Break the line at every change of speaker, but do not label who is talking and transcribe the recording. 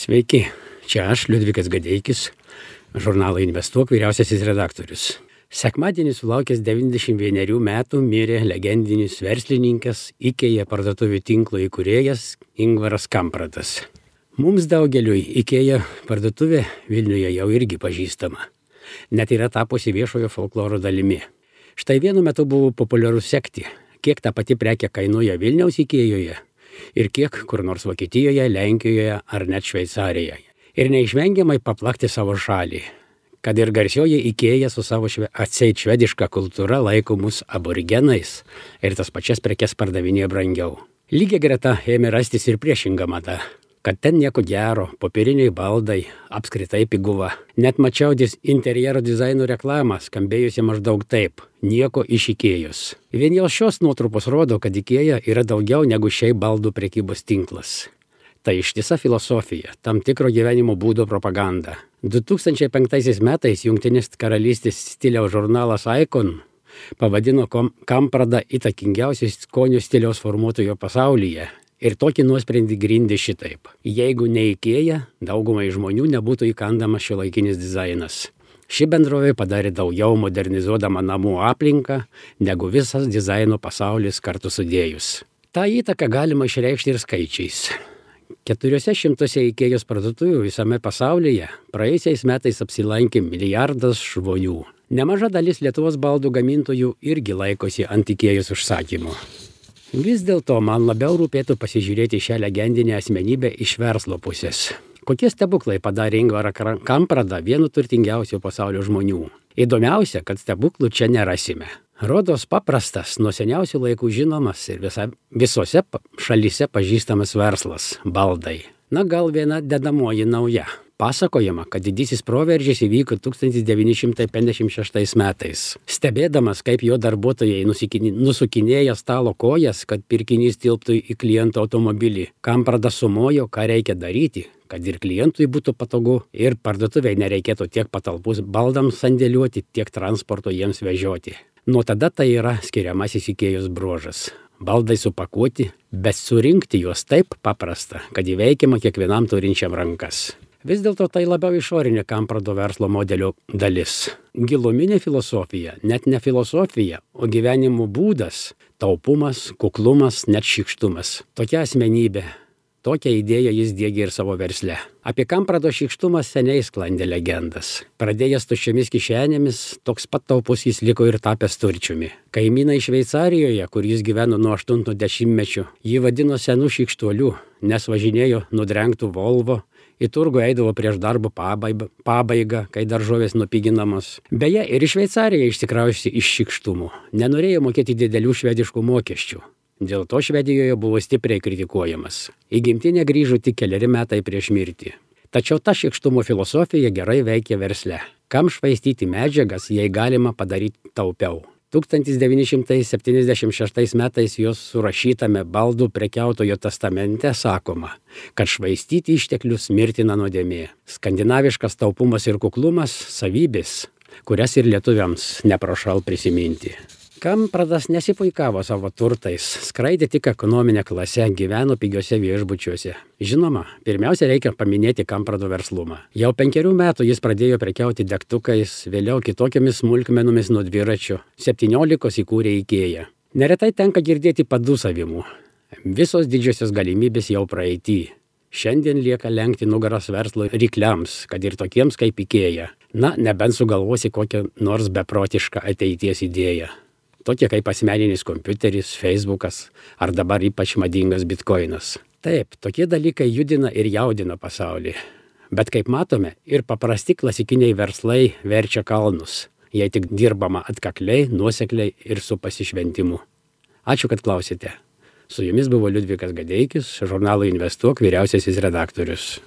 Sveiki, čia aš, Liudvikas Gadeikis, žurnalo Investuok vyriausiasis redaktorius. Sekmadienį sulaukęs 91 metų mirė legendinis verslininkas, IKEA parduotuvių tinklo įkūrėjas Ingvaras Kampradas. Mums daugeliui IKEA parduotuvė Vilniuje jau irgi pažįstama. Net yra tapusi viešojo folkloro dalimi. Štai vienu metu buvo populiaru sekti, kiek ta pati prekė kainuoja Vilniaus IKEA'oje ir kiek kur nors Vokietijoje, Lenkijoje ar net Šveicarijoje. Ir neišvengiamai paplakti savo šalį, kad ir garsioji IKEA su savo atseit švediška kultūra laiko mus aborigenais ir tas pačias prekes pardavinėja brangiau. Lygiai greta ėmė rastis ir priešinga mada, kad ten nieko gero, popieriniai baldai, apskritai piguva. Net mačiau interjero dizaino reklamą, skambėjusi maždaug taip: nieko iš IKEA'os. Vien jau šios nuotrupos rodo, kad IKEA yra daugiau negu šiaip baldų prekybos tinklas. Tai ištisa filosofija, tam tikro gyvenimo būdo propaganda. 2005 metais Jungtinės karalystės stiliaus žurnalas Icon pavadino Kampradą įtakingiausiu skonio stiliaus formuotojo pasaulyje. Ir tokį nuosprendį grindė šitaip: jeigu ne IKEA, daugumai žmonių nebūtų įkandamas šiuolaikinis dizainas. Ši bendrovė padarė daugiau modernizuodama namų aplinką, negu visas dizaino pasaulis kartu sudėjus. Ta įtaka galima išreikšti ir skaičiais. 400 IKEA'os parduotuvių visame pasaulyje praėjusiais metais apsilankė 1 milijardas žmonių. Nemaža dalis Lietuvos baldų gamintojų irgi laikosi ant IKEA'os užsakymų. Vis dėlto man labiau rūpėtų pasižiūrėti šią legendinę asmenybę iš verslo pusės. Kokie stebuklai padarė Ingvarą Kampradą vienu turtingiausių pasaulio žmonių? Įdomiausia, kad stebuklų čia nerasime. Rodos paprastas, nuo seniausių laikų žinomas ir visose šalyse pažįstamas verslas – baldai. Na, gal viena dedamoji nauja. Pasakojama, kad didysis proveržis įvyko 1956 metais. Stebėdamas, kaip jo darbuotojai nusukinėja stalo kojas, kad pirkinys tilptų į kliento automobilį, Kampradas sumojo, ką reikia daryti, kad ir klientui būtų patogu ir parduotuviai nereikėtų tiek patalpų baldams sandėliuoti, tiek transporto jiems vežioti. Nuo tada tai yra skiriamasis IKEA'os bruožas. Baldai supakuoti, bet surinkti juos taip paprasta, kad įveikiama kiekvienam turinčiam rankas. Vis dėlto tai labiau išorinė Kamprado verslo modelio dalis. Giluminė filosofija, net ne filosofija, o gyvenimo būdas, taupumas, kuklumas, net šykštumas. Tokia asmenybė, tokią idėją jis diegė ir savo versle. Apie Kamprado šykštumą seniai sklandė legendas. Pradėjęs tuščiomis kišenėmis, toks pat taupus jis liko ir tapęs turčiumi. Kaimynai Šveicarijoje, kur jis gyveno nuo 80-mečio, jį vadino senu šykštuoliu, nes važinėjo nudrengtų Volvo, į turgų eidavo prieš darbo pabaigą, kai daržovės nupiginamos. Beje, ir į Šveicariją išsikrausti iš šykštumų. Nenorėjo mokėti didelių švediškų mokesčių. Dėl to Švedijoje buvo stipriai kritikuojamas. Į gimtinę grįžo tik 4 metai prieš mirtį. Tačiau ta šykštumo filosofija gerai veikia versle. Kam švaistyti medžiagas, jei galima padaryti taupiau? 1976 metais jos surašytame baldų prekiautojo testamente sakoma, kad švaistyti išteklius mirtina nuodėmė. Skandinaviškas taupumas ir kuklumas – savybės, kurias ir lietuviams neprašau prisiminti. Kampradas nesipuikavo savo turtais, skraidė tik ekonominę klasę, gyveno pigiuose viešbučiuose. Žinoma, pirmiausia reikia paminėti Kamprado verslumą. Jau 5 metų jis pradėjo prekiauti degtukais, vėliau kitokiamis smulkmenomis nuo dviračio. 17 įkūrė IKEA. Neretai tenka girdėti padūsavimų. Visos didžiosios galimybės jau praeity. Šiandien lieka lenkti nugaras verslo rykliams, kad ir tokiems kaip IKEA. Na, nebent sugalvosi kokią nors beprotišką ateities idėją. Tokie kaip asmeninis kompiuteris, Facebookas ar dabar ypač madingas bitkoinas. Taip, tokie dalykai judina ir jaudina pasaulį. Bet kaip matome, ir paprasti klasikiniai verslai verčia kalnus, jei tik dirbama atkakliai, nuosekliai ir su pasišventimu. Ačiū, kad klausėte. Su jumis buvo Liudvikas Gadeikis, žurnalo Investuok vyriausiasis redaktorius.